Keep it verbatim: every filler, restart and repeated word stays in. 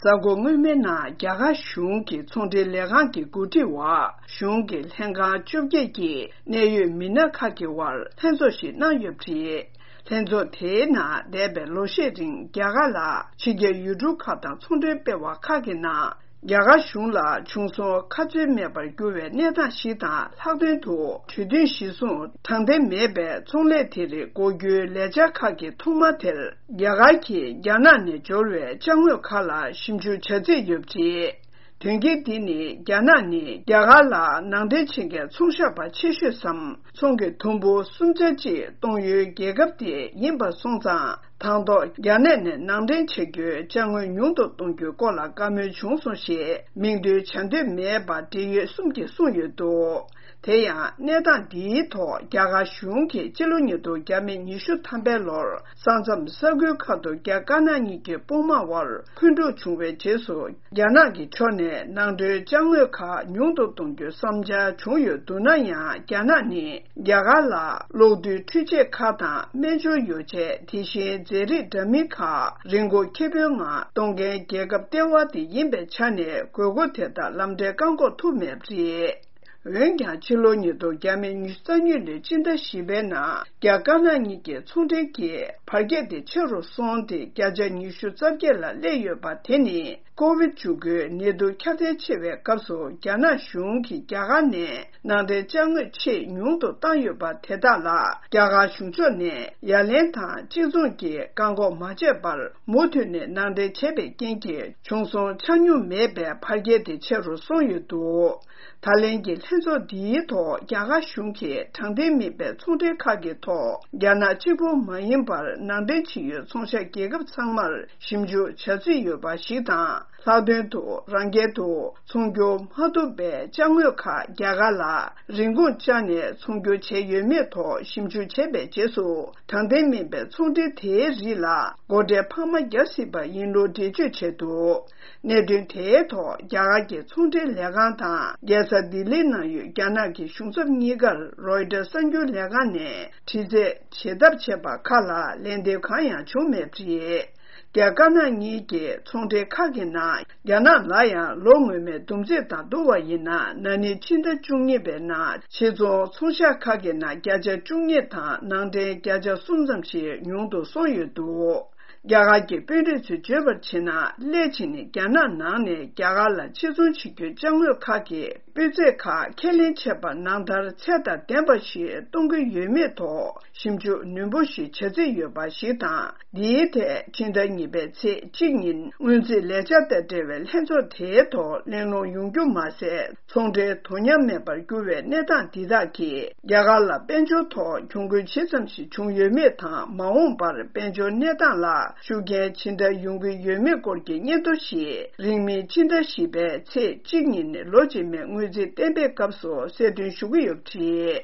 གཟའ་འཁོར་སྔོན་མའི་ནང་རྒྱ་གར་གཞུང་གི་ཚོང་འབྲེལ་ལས་ཁང་གི་འགོ་ཁྲིད་འོག་གཞུང་གི་ལྷན་ཁང་བཅོ་བརྒྱད་ཀྱི་གནད་ཡོད་མི་སྣ་ཁག་གི་དབར་ལྷན་ཚོགས་ཤིག་གནང་ཡོད་པ་རེད། ལྷན་ཚོགས་དེའི་ནང་འདས་པའི་ལོ་ཤས་རིང་རྒྱ་གར་ལ་ཕྱི་རྒྱལ་ཡུལ་གྲུ་ཁག་དང་ཚོང་འབྲེལ་སྤེལ་བ་ཁག་གི་ནང་རྒྱ་གར་གཞུང་ལ་བྱུང་སོང་ཁ་ཚོན་མེད་པར་གྱུར་བའི་གནས་སྟངས་ཤིག་དང་། ལྷག་དོན་དུ་གྲོས་མཐུན་གཞིར་བཟུང་དྲང་བདེན་མེད་པའི་ཚོང་ལས་དེ་རིགས་འགོག་རྒྱུའི་ལས་འཆར་ཁག་གི་ཐོག་མ་དེར། རྒྱ་གར་གྱིས་རྒྱ་ནག་ནས་འབྱོར་བའི་ཅ་དངོས་ཁག་ལ་ཞིབ་འཇུག་བྱ་རྩིས་ཡོད་པ་རེད། དོན་རྐྱེན་འདི་ནི་རྒྱ་ནག་ནི་རྒྱ་གར་ལ་ནང་འདྲེན་བྱེད་མཁན་ཚོང་ཤག་པ་ཆེ་ཤོས་སམ། ཚོང་གི་དུམ་བུ་གསུམ་ཆ་གཅིག་གཏོང་ཡུལ་རྒྱལ་ཁབ་དེ་ཡིན་པ་སོང་ཙང་། དང་ཐོག་རྒྱ་ནག་ནས་ནང་འདྲེན་བྱ་རྒྱུའི་ཅ་དངོས་ཉུང་དུ་གཏོང་རྒྱུའི་སྐོར་ལ་བཀའ་མོལ་བྱུང་སོང་ཞེས་མིང་འདོན་བྱ་འདོད་མེད་པ་འབྲེལ་ཡོད་གསུམ་གྱིས་གསུངས་ཡོད་འདུག་དེ་ཡང་གནས་སྟངས་འདིའི་ཐོག་རྒྱ་གར་གཞུང་གིས་སྤྱི་ལོ་ཉིས་སྟོང་ཉི་ཤུ་ཐམ་པའི་ལོར་ས་མཚམས་ས་ཁུལ་ཁག་ཏུ་རྒྱ་དཀར་ནག་གཉིས་ཀྱི་དཔུང་དམག་དབར་འཁོན་འཁྲུག་བྱུང་བའི་རྗེས་སུ། རྒྱ་ནག་གི་ཕྱོགས་ནས་ནང་འདྲེན་ཅ་དངོས་ཁག་ཉུང་དུ་གཏོང་རྒྱུའི་བསམ་འཆར་བྱུང་ཡོད་འདུག་ན་ཡང་། རྒྱ་ནག་ནི་རྒྱ་གར་ལ་གློག་རྡུལ་འཕྲུལ་ཆས་ཁག་དང་སྨན་སྦྱོར་ཡོ་བྱད། དེ་བཞིན་རྫས་རིགས་འདྲ་མིན་ཁག་རིན་གོང་ཁེ་པོའི་ངང་གཏོང་མཁན་རྒྱལ་ཁབ་ལྟེ་བ་དེ་ཡིན་པའི་ཆ་ནས། དགོས་མཁོ་དེ་དག་ལམ་འཕྲལ་བཀག་འགོག་ཐུབ་མེད་པ་རེད། འོན་ཀྱང་། ཕྱི་ལོ་ཉིས་སྟོང་ཉི་ཤུ་རྩ་གཉིས་ལོའི་སྤྱི་ཟླ་བཞི་པའི་ནང་རྒྱ་དཀར་ནག་གཉིས་ཀྱི་ཚོང་འབྲེལ་གྱི་འཕར་རྒྱས་དེ་ཆེ་རུ་སོང་སྟེ། བརྒྱ་ཆ་ཉི་ཤུ་རྩ་བརྒྱད་ལ་སླེབས་ཡོད་པ་དེ་ནི། ཀོ་བིད་བཅུ་དགུའི་ནད་དུག་ཁྱབ་གདལ་ཆེ་བའི་སྐབས་སུ། རྒྱ་ནག་གཞུང་གིས་རྒྱ་གར་ནས་ནང་འདྲེན་ཅ་དངོས་ཆེས་ཉུང་དུ་བཏང་ཡོད་པ་དེ་དག་ལ། རྒྱ་གར་གཞུང་ཕྱོགས་ནས་ཡ་ལན་དང་གཅིག་མཚུངས་ཀྱིས་བཀག་འགོག་མ་བྱས་པར། མུ་མཐུད་ནས་ནང་འདྲེན་བྱས་པའི་རྐྱེན་གྱིས། བྱུང་སོང་ཆ་སྙོམས་མེད་པའི་འཕར་རྒྱས་དེ་ཆེ་རུ་སོང་ཡོད་འདུག་ད་ལན་གྱི་ལྷན་ཚོགས་འདིའི་ཐོག་རྒྱ་གར་གཞུང་གིས་དྲང་བདེན་མིན་པའི་ཚོང་འབྲེལ་ཁག་གི་ཐོག་རྒྱ་ནག་གཅིག་པུ་མ་ཡིན་པར། ནང་འདྲེན་བྱེད་ཡུལ་ཚོང་ཤག་རྒྱལ་ཁབ་ཚང་མར་ཞིབ་འཇུག་བྱ་རྩིས་ཡོད་པ་ཞིག་དང་། ལྷག་དོན་དུ། རང་རྒྱལ་དུ་ཚོང་སྒྱུར་མ་ཐུབ་པའི་ཅ་དངོས་ཁག་རྒྱ་གར་ལ་རིན་གོང་བཅག་ནས་ཚོང་སྒྱུར་བྱས་ཡོད་མེད་ཐོག་ཞིབ་འཇུག་བྱས་པའི་རྗེས་སུ། དྲང་བདེན་མིན་པའི་ཚོང་འབྲེལ་དེའི་རིགས་ལ་སྒོ་ཁྲལ་འཕར་མ་རྒྱག་སྲིད་པ་ཡིན་ལུགས་འགྲེལ་བརྗོད་བྱས་འདུག་གནད་དོན་དེའི་ཐོག་རྒྱ་གར་གྱི་ཚོང་འབྲེལ་ལས་ཁང་དང་། རྒྱལ་ས་ལྡི་ལིའི་ནང་ཡོད་རྒྱ་ནག་གི་གཞུང་ཚབ་གཉིས་ཀར་རོའི་ཊར་གསར་འགྱུར་ལས་ཁང་ནས་དྲི་རྩད་བྱེད་ཐབས་བྱས་པ་ཁག་ལ་ལན་འདེབས་གང་ཡང་བྱུང་མེད་པ་རེད། རྒྱ་དཀར་ནག་གཉིས་ཀྱི་ཚོང་འབྲེལ་ཁག་གི་ནང་། རྒྱ་ནག་ལ་ཡང་ལོ་སྔོན་མའི་བསྡོམས་རྩིས་དང་བསྡུར་བ་ཡིན་ན། ན་ནིང་ཕྱི་ཟླ་བཅུ་གཉིས་པའི་ནང་ཕྱིར་ཚོང་ཚོང་ཤག་ཁག་གི་ནང་བརྒྱ་ཆ་བཅུ་གཉིས་དང་ནང་འདྲེན་བརྒྱ་ཆ་གསུམ་ཙམ་ཞིག་ཉུང་དུ་སོང་ཡོད་འདུག་རྒྱ་གར་གྱི་དཔོན་རིགས་ཚོས་བརྗོད་པར་བྱས་ན། སླད་ཕྱིན་ནི་རྒྱ་ནག་ནང་ནས་རྒྱ་གར་ལ་ཕྱིར་ཚོང་བྱེད་རྒྱུའི་ཅ་དངོས་ཁག་གི་སྤུས་ཚད་ཁག་ཁས་ལེན་བྱས་པ་ནང་ལྟར་ཚད་དང་ལྡན་པ་ཞིག་གཏོང་གི་ཡོད་མེད་ཐོག་ཞིབ་འཇུག་ནན་པོ་ཞིག་བྱ་རྩིས་ཡོད་པ་ཞིག་དང་། འདིའི་ཐད་ཕྱི་ཟླ་གཉིས་པའི་ཚེས་གཅིག་ཉིན་སྔོན་རྩིས་ལས་འཆར་དང་འབྲེལ་བའི་ལྷན་ཚོགས་དེའི་ཐོག་གླེང་སློང་ཡོང་རྒྱུ་མ་ཟད། ཚོང་འབྲེལ་དོ་མཉམ་མེད་པར་གྱུར་བའི་གནས་སྟངས་འདི་དག་གིས། རྒྱ་གར་ལ་དཔལ་འབྱོར་ཐོག་གྱོང་གུན་ཇི་ཙམ་ཞིག་བྱུང་ཡོད་མེད་དང་། མ་འོངས་པར་དཔལ་འབྱོར་གནས་སྟངས་ལ་ཤུགས་རྐྱེན་ཇི་འདྲ་ཡོང་གི་ཡོད་མེད་སྐོར་གྱི་སྙན་ཐོ་ཞིག་རིང་མིན་ཕྱི་ཟླ་བཞི་པའི་ཚེས་གཅིག་ཉིན་ལོ་རྗེས་མའི་སྔོན་རྩིས་གཏན་འབེབས་སྐབས་སུ་གསལ་སྟོན་ཞུ་གི་ཡོད་པ་རེད།